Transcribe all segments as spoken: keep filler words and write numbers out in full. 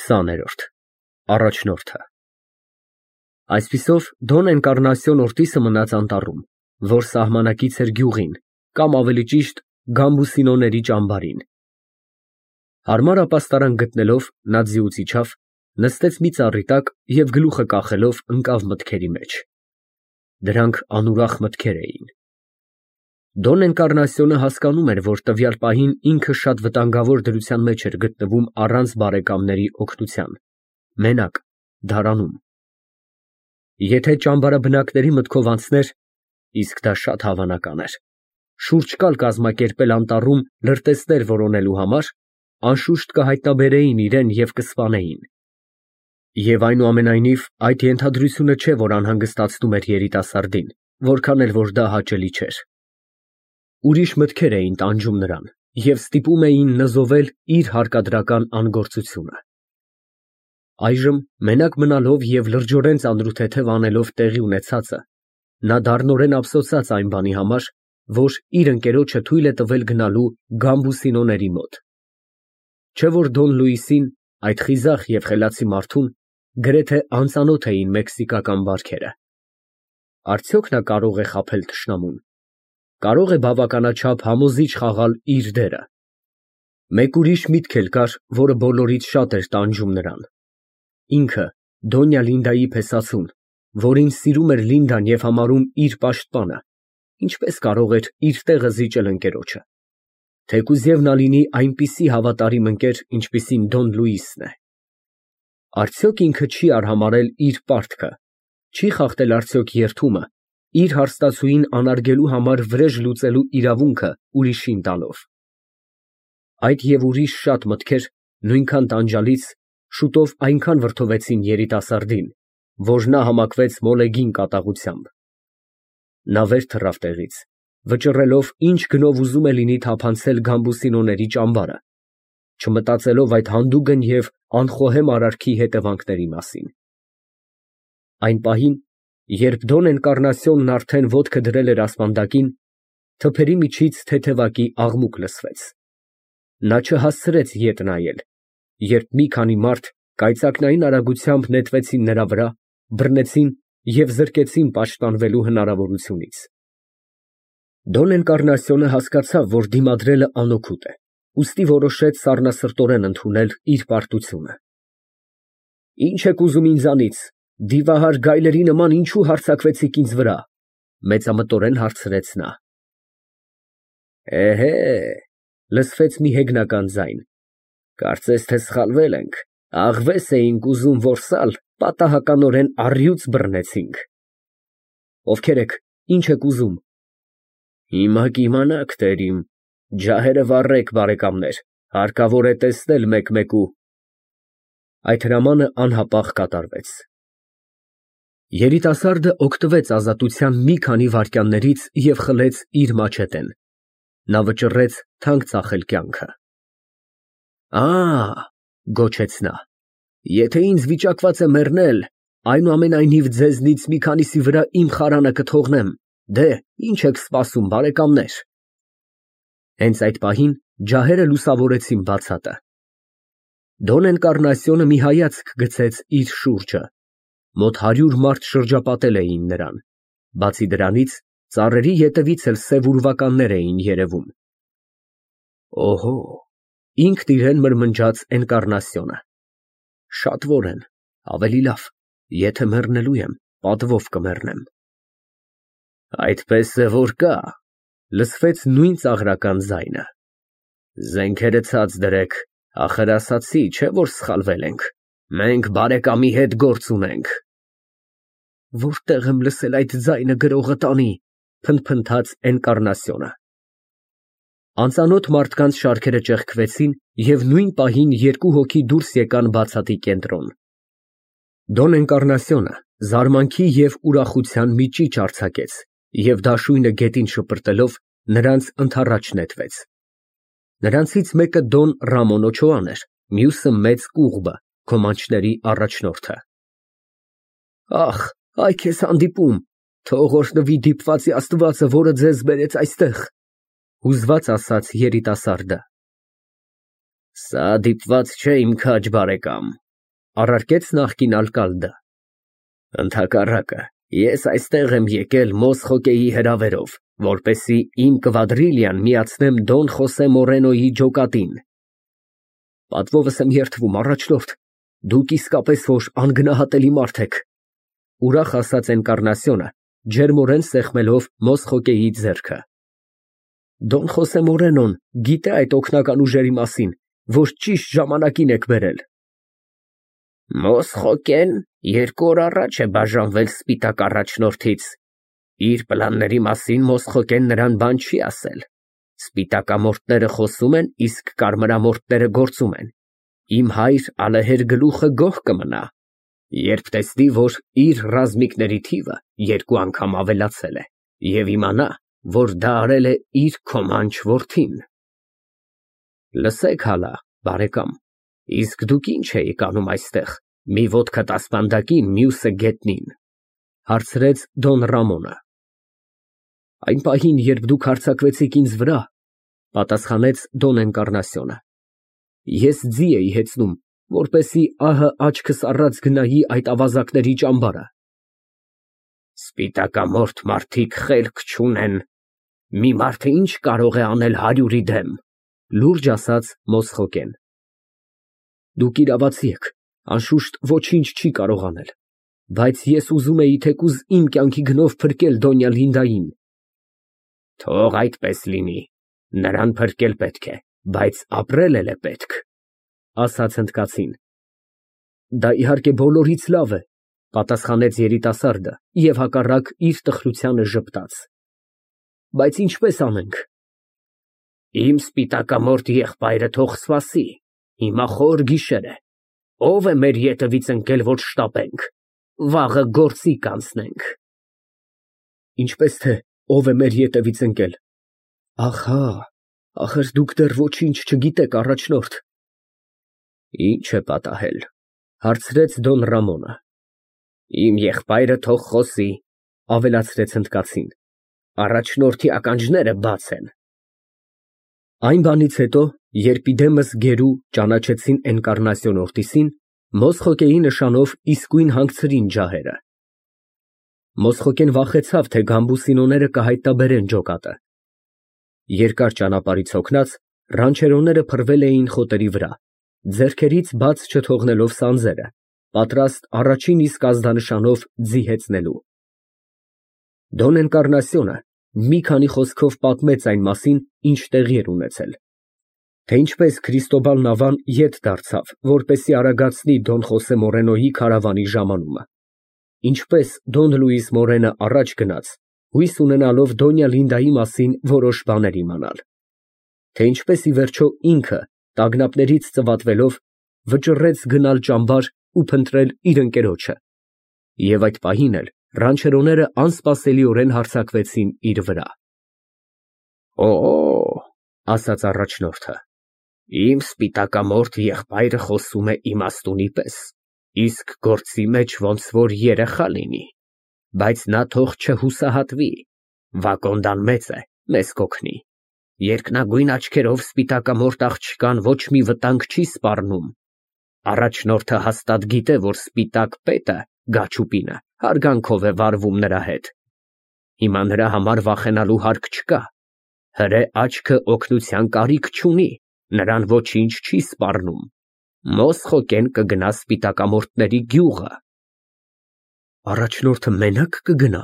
քսաներորդ Առաջնորդը Այսպիսով Դոն Էնկարնասիոն Օրտիսը մնաց անտառում, որ սահմանակից էր գյուղին, կամ ավելի ճիշտ Գամբուսինոների ճամբարին։ Հարմար ապաստարան գտնելով, նա ձիուց իջավ, նստեց մի ծառի տակ և գլուխը կախելով ընկավ մտքերի մեջ։ Դրանք անուրախ մտքեր էին։ Դոն Էնկարնասիոնը հասկանում էր, որ տվյալ պահին ինքը շատ վտանգավոր դրության մեջ էր գտնվում առանց բարեկամների օգնության, մենակ, դարանում։ Եթե ճամբարաբնակների մտքով անցներ, իսկ դա շատ հավանական էր, շուրջ կալ կազմակերպել անտառում լրտեսներ որոնելու համար, անշուշտ կհայտնաբերեին իրեն և կսպանեին։ Եվ այնուամենայնիվ, այդ ենթադրությունը չէ, որ անհանգստացնում էր երիտասարդին, որքան էլ որ դա հաճելի չէր։ Ուրիշ մտքեր էին տանջում նրան և ստիպում էին նզովել իր հարկադրական անգործությունը։ Այժմ, մենակ մնալով և լրջորեն ծանրութեթև անելով տեղի ունեցածը, նա դառնորեն ափսոսաց այն բանի համար, որ իր ընկերոջը թույլ է տվել գնալու Գամբուսինոների մոտ։ Չէ՞ որ Դոն Լուիսին, այդ խիզախ և խելացի մարդուն, գրեթե անծանոթ էին մեքսիկական բարքերը։ Արդյոք նա կարո՞ղ է խաբել թշնամուն, կարող է բավականաչափ համոզիչ խաղալ իր դերը։ Մեկ ուրիշ միտք էլ կար, որը բոլորից շատ էր տանջում նրան։ Ինքը, Դոնյա Լինդայի փեսացուն, որին սիրում էր Լինդան և համարում իր պաշտպանը, ինչպես կարող էր իր տեղը զիջել ընկերոջը, թեկուզ և նա լինի այնպիսի հավատարիմ ընկեր, ինչպիսին Դոն Լուիսն է։ Արդյոք ինքը չի արհամարհել իր պարտքը, չի խախտել արդյոք երդումը, իր հարստացուին անարգելու համար վրեժ լուծելու իրավունքը ուրիշին տալով։ Այդ և ուրիշ շատ մտքեր, նույնքան տանջալից, շուտով այնքան վրդովվեցին երիտասարդին, որ նա համակվեց մոլեգին կատաղությամբ։ Նա վեր թռավ տեղից, վճռելով ինչ գնով ուզում է լինի թափանցել Գամբուսինոների ճամբարը, չմտածելով այդ հանդուգն և անխոհեմ արարքի հետևանքների մասին։ Այն պահին, երբ Դոն Էնկարնասիոնն արդեն ոտքը դրել էր ասպանդակին, թփերի միջից թեթևակի աղմուկ լսվեց։ Նա չհասցրեց ետ նայել, երբ մի քանի մարդ կայծակնային արագությամբ նետվեցին նրա վրա, բռնեցին և զրկեցին պաշտպանվելու հնարավորությունից։ Դոն Էնկարնասիոնը հասկացավ, որ դիմադրելը անօգուտ է, ուստի որոշեց սառնասրտորեն ընդունել իր պարտությունը։ Ի՞նչ եք ուզում ինձանից, դիվահար գայլերի նման ինչո՞ւ հարձակվեցիք ինձ վրա, մեծամտորեն հարցրեց նա։ Էհե, լսվեց մի հեգնական ձայն, կարծես թե սխալվել ենք, աղվես էինք ուզում որսալ, պատահականորեն առյուծ բռնեցինք։ Ովքեր եք, ինչ եք ուզում։ Հիմա կիմանաք, տերիմ, ջահերը վառեք, բարեկամներ, հարկավոր է տեսնել մեկ֊մեկու։ Այդ հրամանը անհապաղ կատարվեց։ Երիտասարդը օգտվեց ազատության մի քանի վայրկյաններից և խլեց իր մաչետեն։ Նա վճռեց թանկ ծախել կյանքը։ Ա, գոչեց նա, եթե ինձ վիճակված է մեռնել, այնուամենայնիվ ձեզնից մի քանիսի վրա իմ խարանը կթողնեմ, դե, ինչ եք սպասում, բարեկամներ։ Հենց այդ պահին ջահերը լուսավորեցին բացատը։ Դոն Էնկարնասիոնը մի հայացք գցեց իր շուրջը, մոտ հարյուր մարդ շրջապատել էին նրան, բացի դրանից, ծառերի ետևից էլ սև ուրվականներ էին երևում։ Օհո, ինքն իրեն մրմնջաց Էնկարնասիոնը, շատվոր են, ավելի լավ, եթե մեռնելու եմ, պատվով կմեռնեմ։ Այդպես է որ կա, լսվեց նույն ծաղրական ձայնը։ Զենքերը ցած դրեք, ախր ասացի, չէ՞ որ սխալվել ենք, մենք բարեկամի հետ գործ ունենք։ Որտե՞ղ եմ լսել այդ ձայնը գրողը տանի, փնթփնթաց Էնկարնասիոնը։ Անծանոթ մարդկանց շարքերը ճեղքվեցին և նույն պահին երկու հոգի դուրս եկան բացատի կենտրոն։ Դոն Էնկարնասիոնը զարմանքի և ուրախության մի ճիչ արձակեց և դաշույնը գետին շպրտելով նրանց ընդառաջ նետվեց։ Նրանցից մեկը Դոն Ռամոն Օչոան էր, մյուսը մեծ կուղբը, քոմանչների առաջնորդը։ Ախ, այ քեզ հանդիպում, թող օրհնվի դիպվածի Աստվածը, որը ձեզ բերեց այստեղ, հուզված ասաց երիտասարդը։ Սա դիպված չէ, իմ քաջ բարեկամ, Առարկեց նախկին ալկալդը։ Ընդհակառակը, ես այստեղ եմ եկել Մոսխոկեի հրավերով, որպեսզի իմ կվադրիլիան միացնեմ Դոն Խոսե Մորենոյի ջոկատին։ Պատվովս եմ երդվում, առաջնորդ, դուք իսկապես որ անգնահատելի մարդ եք, ուրախ ասաց Էնկառնասիոնը, ջերմորեն սեղմելով Մոսխոկեի ձեռքը։ Դոն Խոսե Մորենոն գիտե այդ օգնական ուժերի մասին, որ ճիշտ ժամանակին եք բերել։ Մոսխոկեն երկու օր առաջ է բաժանվել Սպիտակ առաջնորդից։ Իր պլանների մասին Մոսխոկեն նրան բան չի ասել։ Սպիտակամորտները խոսում են, իսկ կարմրամորտները գործում են։ Իմ հայր ալեհեր գլուխը գոհ կմնա, երբ տեսնի, որ իր ռազմիկների թիվը երկու անգամ ավելացել է, և իմանա, որ դա արել է իր քոմանչ որդին։ Լսեք հալա, բարեկամ, իսկ դուք ինչ էիք անում այստեղ, մի ոտքդ ասպանդակին, մյուսը գետնին, հարցրեց Դոն Ռամոնը։ Այն պահին, երբ դուք հարձակվեցիք ինձ վրա, պատասխանեց Դոն Էնկառնասիոնը, ես ձի էի հեծնում, որպեսզի ահը աչքս առած գնայի այդ ավազակների ճամբարը։ Սպիտակամորթ մարդիկ խելք չունեն, մի մարդը ինչ կարող է անել հարյուրի դեմ, լուրջ ասաց Մոսխոկեն։ Դուք իրավացի եք, անշուշտ ոչինչ չի կարող անել, բայց ես ուզում էի թեկուզ իմ կյանքի գնով փրկել Դոնյա Լինդային։ Թող այդպես լինի, նրան փրկել պետք է, բայց ապրել էլ է պետք, ասաց հնդկացին։ Դա իհարկե բոլորից լավ է, պատասխանեց երիտասարդը և հակառակ իր տխրությանը ժպտաց։ Բայց ինչպես անենք։ Իմ սպիտակամորթ եղբայրը թող սպասի, հիմա խոր գիշեր է, ով է մեր ետևից ընկել, որ շտապենք, վաղը գործի կանցնենք։ Ինչպես թե ով է մեր ետևից ընկել։ Ահա, ախր դուք դեռ ոչինչ չգիտեք, առաջնորդ։ Ինչ է պատահել, հարցրեց Դոն Ռամոնը։ Իմ եղբայրը թող խոսի, ավելացրեց հնդկացին, առաջնորդի ականջները բաց են։ Այն բանից հետո, երբ իդեմս գերու ճանաչեցին Էնկառնասիոն Օրտիսին, Մոսխոկեի նշանով իսկույն հանգցրին ջահերը։ Մոսխոկեն վախեցավ, թե գամբուսինոները կհայտնաբերեն ջոկատը։ Երկար ճանապարհից հոգնած, ռանչերոները փռվել էին խոտերի վրա, ձեռքերից բաց չթողնելով սանձերը, պատրաստ առաջին իսկ ազդանշանով ձի հեծնելու։ Դոն Էնկառնասիոնը մի քանի խոսքով պատմեց այն մասին, ինչ տեղի էր ունեցել, թե ինչպես Քրիստոբալ Նավան ետ դարձավ, որպեսզի արագացնի Դոն Խոսե Մորենոյի քարավանի ժամանումը, ինչպես Դոն Լուիս Մորենը առաջ գնաց, հույս ունենալով Դոնյա Լինդայի մասին որոշ բաներ իմանալ, թե ինչպես ի վերջո ինքը, տագնապներից ծվատվելով, վճռեց գնալ ճամբար ու փնտրել իր ընկերոջը, և այդ պահին էլ ռանչերոները անսպասելիորեն հարձակվեցին իր վրա։ Օ, ասաց առաջնորդը, իմ սպիտակամորթ եղբայրը խոսում է իմաստունի պես, իսկ գործի մեջ ոնց որ երեխա լինի, բայց նա թող չհուսահատվի, Վակոնդան մեծ է, մեզ կօգնի, երկնագույն աչքերով սպիտակամորթ աղջկան ոչ մի վտանգ չի սպառնում, առաջնորդը հաստատ գիտե, որ սպիտակ պետը, Գաչուպինը, հարգանքով է վարվում նրա հետ, հիմա նրա համար վախենալու հարկ չկա, հրե աչքը օգնության կարիք չունի, նրան ոչինչ չի սպառնում, Մոսխոկեն կգնա սպիտակամորթների գյուղը։ Առաջնորդը մենակ կգնա։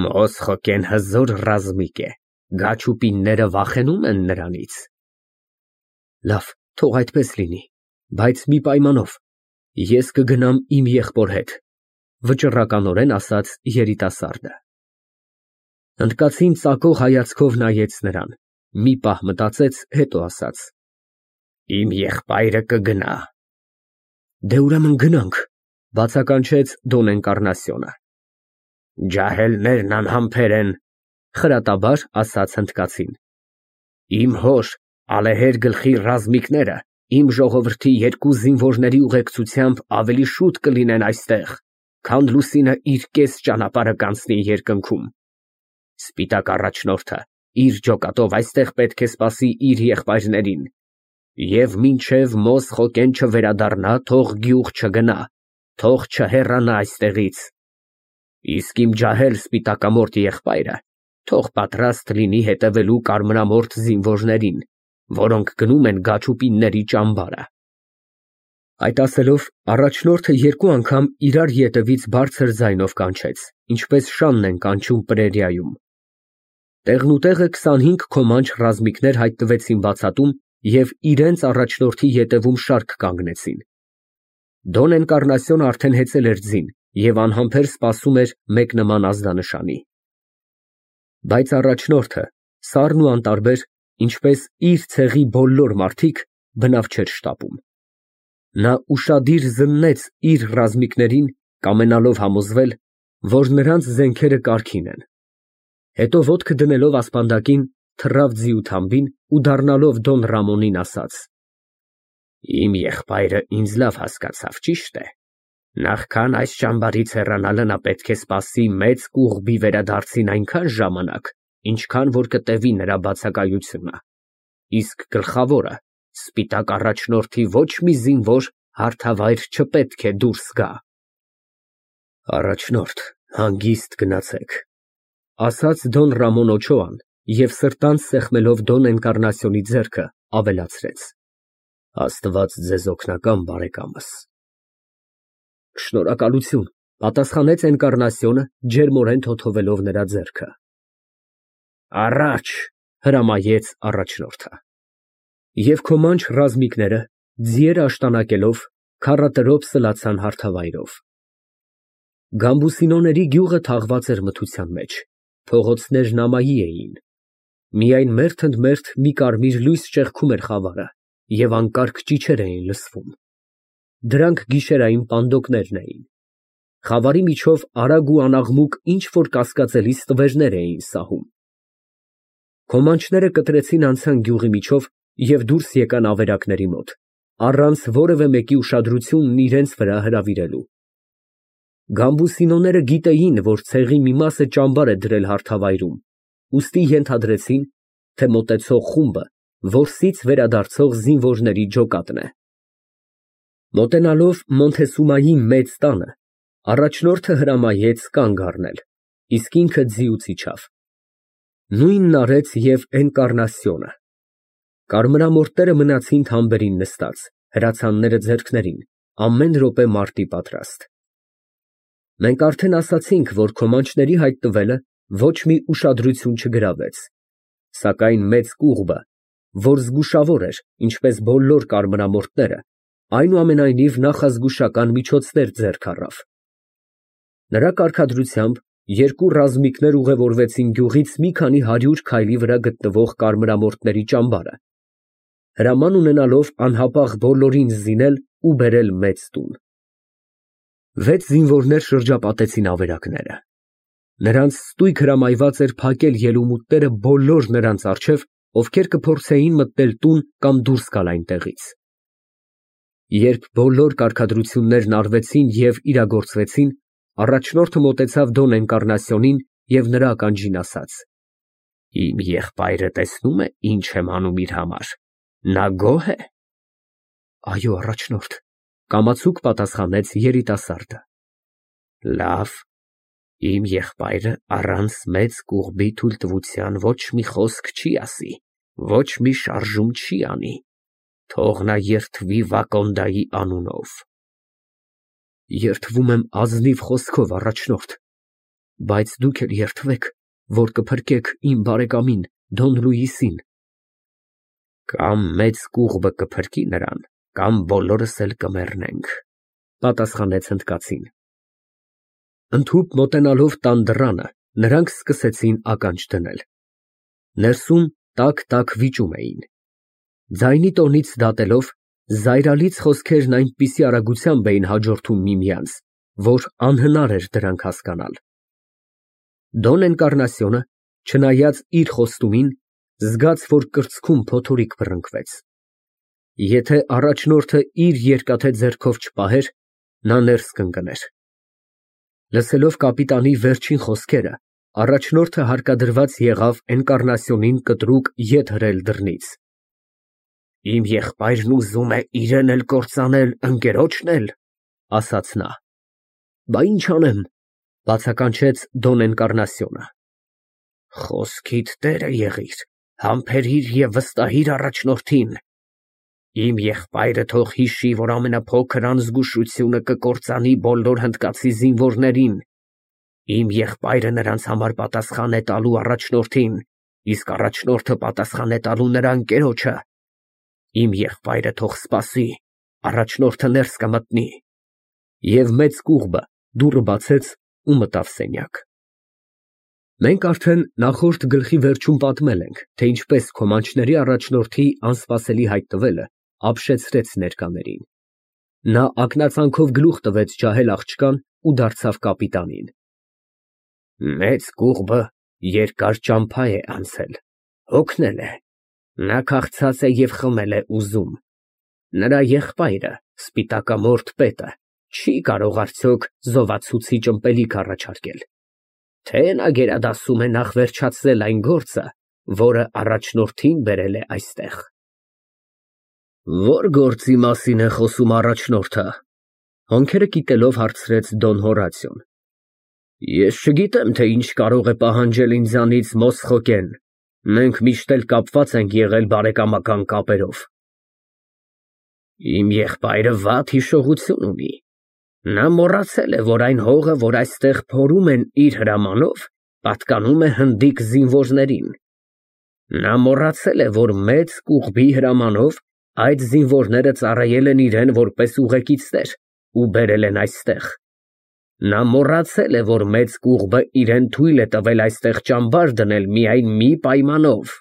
Մոսխոկեն հզոր ռազմիկ է, Գաչուպինները վախենում են նրանից։ Լավ, թող այդպես լինի, բայց մի պայմանով, ես կգնամ իմ եղբոր հետ, վճռականորեն ասաց երիտասարդը։ Հնդկացին ծակող հայացքով նայեց նրան, մի պահ մտածեց, հետո ասաց. Իմ եղբայրը կգնա։ Դե ուրեմն գնանք, բացականչեց Դոն Էնկառնասիոնը։ Ջահելներն անհամբեր են, խրատաբար ասաց հնդկացին։ Իմ հոր ալեհեր գլխի ռազմիկները իմ ժողովրդի երկու զինվորների ուղեկցությամբ ավելի շուտ կլինեն այստեղ, քան լուսինը իր կես ճանապարհը կանցնի երկնքում։ Սպիտակ առաջնորդը իր ջոկատով այստեղ պետք է սպասի իր եղբայրներին, Եվ մինչև Մոսխոկեն չվերադառնա, թող գյուղ չգնա, թող չհեռանա այստեղից։ Իսկ իմ ջահել սպիտակամորթ եղբայրը թող պատրաստ լինի հետևելու կարմրամորթ զինվորներին, որոնք գնում են Գաչուպինների ճամբարը։ Այդ ասելով, առաջնորդը երկու անգամ իրար ետևից բարձր ձայնով կանչեց, ինչպես շանն են կանչում պրերիայում։ Տեղնուտեղը քսանհինգ քոմանչ ռազմիկներ հայտնվեցին բացատում և իրենց առաջնորդի ետևում շարք կանգնեցին։ Դոն Էնկառնասիոնը արդեն հեծել էր ձին և անհամբեր սպասում էր մեկնման ազդանշանի։ Բայց առաջնորդը, սառն ու անտարբեր, ինչպես իր ցեղի բոլոր մարդիկ, բնավ չէր շտապում։ Նա ուշադիր զննեց իր ռազմիկներին, կամենալով համոզվել, որ նրանց զենքերը կարգին են։ Հետո ոտքը դնելով ասպանդակին, թռավ ձիու թամբին ու դառնալով Դոն Ռամոնին ասաց. Իմ եղբայրը ինձ լավ հասկացավ, ճիշտ է։ Նախքան այս ճամբարից հեռանալը նա պետք է սպասի մեծ կուղբի վերադարձին այնքան ժամանակ, ինչքան որ կտևի նրա բացակայությունը։ Իսկ գլխավորը, սպիտակ առաջնորդի ոչ մի զինվոր հարթավայր չպետք է դուրս գա։ Առաջնորդ, հանգիստ գնացեք, ասաց Դոն Ռամոն Օչոան և սրտանց սեղմելով Դոն Էնկառնասիոնի ձեռքը ավելացրեց. Աստված ձեզ օգնական, բարեկամս։ Շնորհակալություն, պատասխանեց Էնկառնասիոնը, ջերմորեն թոթվելով նրա ձեռքը։ Առաջ, հրամայեց առաջնորդը։ Եվ քոմանչ ռազմիկները, ձիեր աշտանակելով, քառատրոփ սլացան հարթավայրով։ Գամբուսինոների գյուղը թաղված էր մթության մեջ, փողոցներն ամայի էին։ Միայն մերթ ընդ մերթ մի կարմիր լույս ճեղքում էր խավարը և անկարգ ճիչեր էին լսվում։ Դրանք գիշերային պանդոկներն էին։ Խավարի միջով արագ ու անաղմուկ ինչ֊որ կասկածելի ստվերներ էին սահում։ Քոմանչները կտրեցին անցան գյուղի միջով և դուրս եկան ավերակների մոտ, առանց որևէ մեկի ուշադրությունն իրենց վրա հրավիրելու։ Գամբուսինոները գիտեին, որ ցեղի մի մասը ճամբար է դրել հարթավայրում, ուստի ենթադրեցին, թե մոտեցող խումբը որսից վերադարձող զինվորների ջոկատն է։ Մոտենալով Մոնթեսումայի մեծ տանը, առաջնորդը հրամայեց կանգ առնել, իսկ ինքը ձիուց իջավ։ Նույնն արեց և Էնկառնասիոնը։ Կարմրամորթները մնացին թամբերին նստած, հրացանները ձեռքներին, ամեն րոպե մարտի պատրաստ։ Մենք արդեն ասացինք, որ քոմանչների հայտնվելը ոչ մի ուշադրություն չգրավեց, սակայն մեծ կուղբը, որ զգուշավոր էր, ինչպես բոլոր կարմրամորթները, այնուամենայնիվ նախազգուշական միջոցներ ձեռք առավ։ Նրա կարգադրությամբ երկու ռազմիկներ ուղևորվեցին գյուղից մի քանի հարյուր քայլի վրա գտնվող կարմրամորթների ճամբարը, հրաման ունենալով անհապաղ բոլորին զինել ու բերել մեծ տուն։ Վեց զինվորներ շրջապատեցին ավերակները։ Նրանց ստույգ հրամայված էր փակել ելումուտները բոլոր նրանց առջև, ովքեր կփորձեին մտնել տուն կամ դուրս գալ այնտեղից։ Երբ բոլոր կարգադրություններն արվեցին և իրագործվեցին, առաջնորդը մոտեցավ Դոն Էնկառնասիոնին և նրա ականջին ասաց. Իմ եղբայրը տեսնո՞ւմ է, ինչ եմ անում իր համար, նա գոհ է։ Այո, առաջնորդ, կամացուկ պատասխանեց երիտասարդը։ Լավ, իմ եղբայրը առանց մեծ կուղբի թույլտվության ոչ մի խոսք չի ասի, ոչ մի շարժում չի անի, թող նա երդվի Վակոնդայի անունով։ Երդվում եմ ազնիվ խոսքով, առաջնորդ, բայց դուք էլ երդվեք, որ կփրկեք իմ բարեկամին, Դոն Լուիսին։ Կամ մեծ կուղբը կփրկի նրան, կամ բոլորս էլ կմեռնենք, պատասխանեց հնդկացին։ Ընդհուպ մոտենալով տան դռանը, նրանք սկսեցին ականջ դնել։ Ներսում տաք֊տաք վիճում էին։ Ձայնի տոնից դատելով, զայրալից խոսքերն այնպիսի արագությամբ էին հաջորդում միմյանց, որ անհնար էր դրանք հասկանալ։ Դոն Էնկառնասիոնը, չնայած իր խոստումին, զգաց, որ կրծքում փոթորիկ բռնկվեց։ Եթե առաջնորդը իր երկաթե ձեռքով չպահեր, նա ներս կընկներ։ Լսելով կապիտանի վերջին խոսքերը, առաջնորդը հարկադրված եղավ Էնկառնասիոնին կտրուկ ետ հրել դռնից։ Իմ եղբայրն ուզում է իրեն էլ կործանել, ընկերոջն էլ, ասաց նա։ Բա ինչ անեմ, բացականչեց Դոն Էնկարնասիոնը։ Խոսքիդ տերը եղիր, համբերիր և վստահիր առաջնորդին։ Իմ եղբայրը թող հիշի, որ ամենափոքր անզգուշությունը կկործանի բոլոր հնդկացի զինվորներին։ Իմ եղբայրը նրանց համար պատասխան է տալու առաջնորդին, իսկ առաջնորդը պատասխան է տալու նրա ընկերոջը։ Իմ եղբայրը թող սպասի, առաջնորդը ներս կմտնի։ Եվ մեծ կուղբը դուռը բացեց ու մտավ սենյակ։ Մենք արդեն նախորդ գլխի վերջում պատմել ենք, թե ինչպես քոմանչների առաջնորդի անսպասելի հայտնվելը ապշեցրեց ներկաներին։ Նա ակնածանքով գլուխ տվեց ջահել աղջկան ու դարձավ կապիտանին։ Մեծ կուղբը երկար ճամփա է անցել, հոգնել է, նա քաղցած է և խմել է ուզում։ Նրա եղբայրը, սպիտակամորթ պետը, չի կարող արդյոք զովացուցիչ ըմպելիք առաջարկել, թե նա գերադասում է նախ վերջացնել այն գործը, որը առաջնորդին բերել է այստեղ։ Ո՞ր գործի մասին է խոսում առաջնորդը, հոնքերը կիտելով հարցրեց Դոն Հորատիոն։ Ես չգիտեմ, թե ինչ կարող է պահանջել ինձանից Մոսխոկեն, մենք միշտ էլ կապված ենք եղել բարեկամական կապերով։ Իմ եղբայրը վատ հիշողություն ունի, նա մոռացել է, որ այն հողը, որ այստեղ փորում են իր հրամանով, պատկանում է հնդիկ զինվորներին։ Նա մոռացել է, որ մեծ կուղբի հրամանով այդ զինվորները ծառայել են իրեն որպես ուղեկիցներ ու բերել են այստեղ։ Նա մոռացել է, որ մեծ կուղբը իրեն թույլ է տվել այստեղ ճամբար դնել միայն մի պայմանով։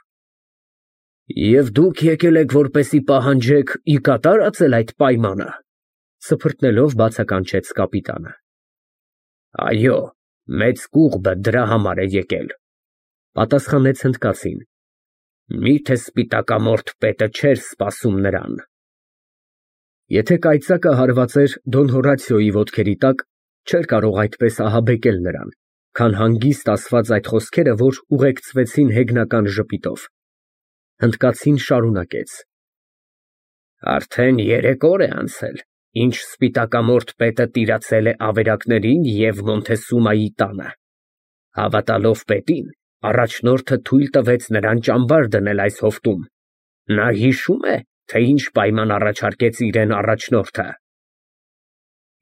Եվ դուք եկել եք, որպեսի պահանջեք ի կատարածել այդ պայմանը, սփռտնելով բացականչեց կապիտանը։ Այո, մեծ կուղբը դրա համար է եկել, պատասխանեց հնդկացին։ Միթե սպիտակամորթ պետը չէր սպասում նրան։ Եթե կայծակը հարված էր Դոն Հորատիոյի ոտքերի տակ, չէր կարող այդպես ահաբեկել նրան, քան հանգիստ ասված այդ խոսքերը, որ ուղեկցվեցին հեգնական ժպիտով։ Հնդկացին շարունակեց. Արդեն երեք օր է անցել, ինչ սպիտակամորթ պետը տիրացել է ավերակներին և Մոնթեսումայի տանը։ Հավատալով պետին, առաջնորդը թույլ տվեց նրան ճամբար դնել այս հովտում։ Նա հիշում է, թե ինչ պայման առաջարկեց իրեն առաջնորդը։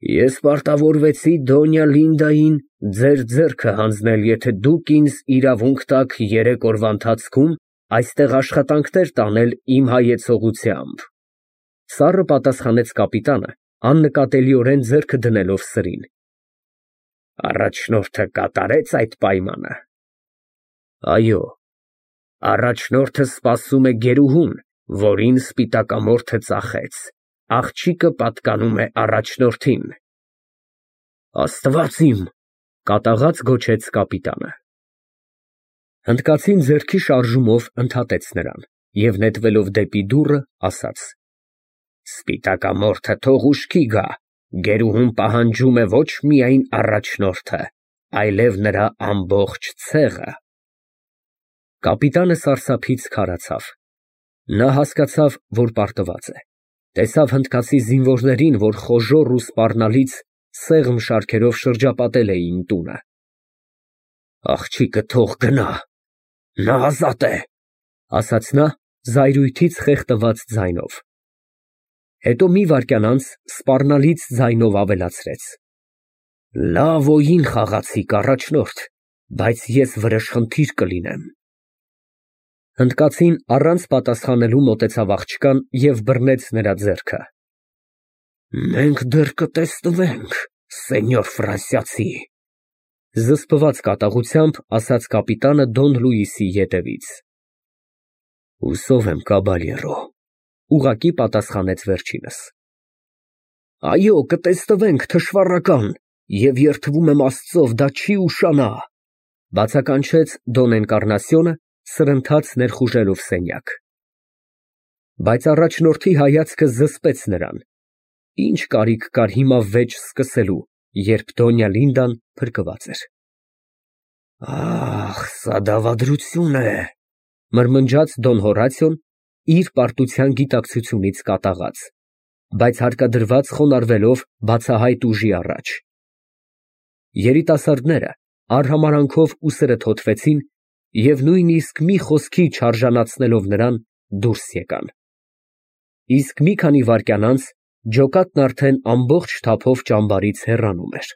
Ես պարտավորվեցի Դոնյա Լինդային ձեր ձեռքը հանձնել, եթե դուք ինձ իրավունք տաք երեք օրվա ընթացքում այստեղ աշխատանքներ տանել իմ հայեցողությամբ, սառը պատասխանեց կապիտանը, աննկատելիորեն ձեռքը դնելով սրին։ Առաջնորդը կատարեց այդ պայմանը։ Այո, առաջնորդը սպասում է գերուհուն, որին սպիտակամորթը ծախեց, աղջիկը պատկանում է առաջնորդին։ Աստված իմ, կատաղած գոչեց կապիտանը։ Հնդկացին ձեռքի շարժումով ընդհատեց նրան և նետվելով դեպի դուռը, ասաց. Սպիտակամորթը թող ուշքի գա, գերուհուն պահանջում է ոչ միայն առաջնորդը, այլև նրա ամբողջ ցեղը։ Կապիտանը սարսափից քարացավ։ Նա հասկացավ, որ պարտված է, տեսավ հնդկացի զինվորներին, որ խոժոռ ու սպառնալից սեղմ շարքերով շրջապատել էին տունը։ Աղջիկը թող գնա, նա ազատ է, ասաց նա զայրույթից խեղդված ձայնով։ Հետո մի վայրկյան անց սպառնալից ձայնով ավելացրեց. Լավ օյին խաղացիք, առաջնորդ, բայց ես վրեժխնդիր կլինեմ։ Հնդկացին առանց պատասխանելու մոտեցավ աղջկան և բռնեց նրա ձեռքը։ Մենք դեռ կտեսնվենք, սենյոր ֆրանսիացի, զսպված կատաղությամբ ասաց կապիտանը Դոն Լուիսի ետևից։ Հուսով եմ, կաբալյերո, ուղղակի պատասխանեց վերջինս։ Այո, կտեսնվենք, թշվառական, և երդվում եմ Աստծով, դա չի ուշանա, բացականչեց Դոն Էնկարնասիոնը, սրընթաց ներխուժելով սենյակ։ Բայց առաջնորդի հայացքը զսպեց նրան։ Ինչ կարիք կար հիմա վեճ սկսելու, երբ Դոնյա Լինդան փրկված էր։ Ահ, սա դավադրություն է, մրմնջաց Դոն Հորատիոն իր պարտության գիտակցությունից կատաղած, բայց հարկադրված խոնարհվելով բացահայտ ուժի առաջ։ Երիտասարդները արհամարհանքով ուսերը թոթվեցին և նույնիսկ մի խոսքի չարժանացնելով նրան, դուրս եկան։ Իսկ մի քանի վայրկյան անց ջոկատն արդեն ամբողջ թափով ճամբարից հեռանում էր։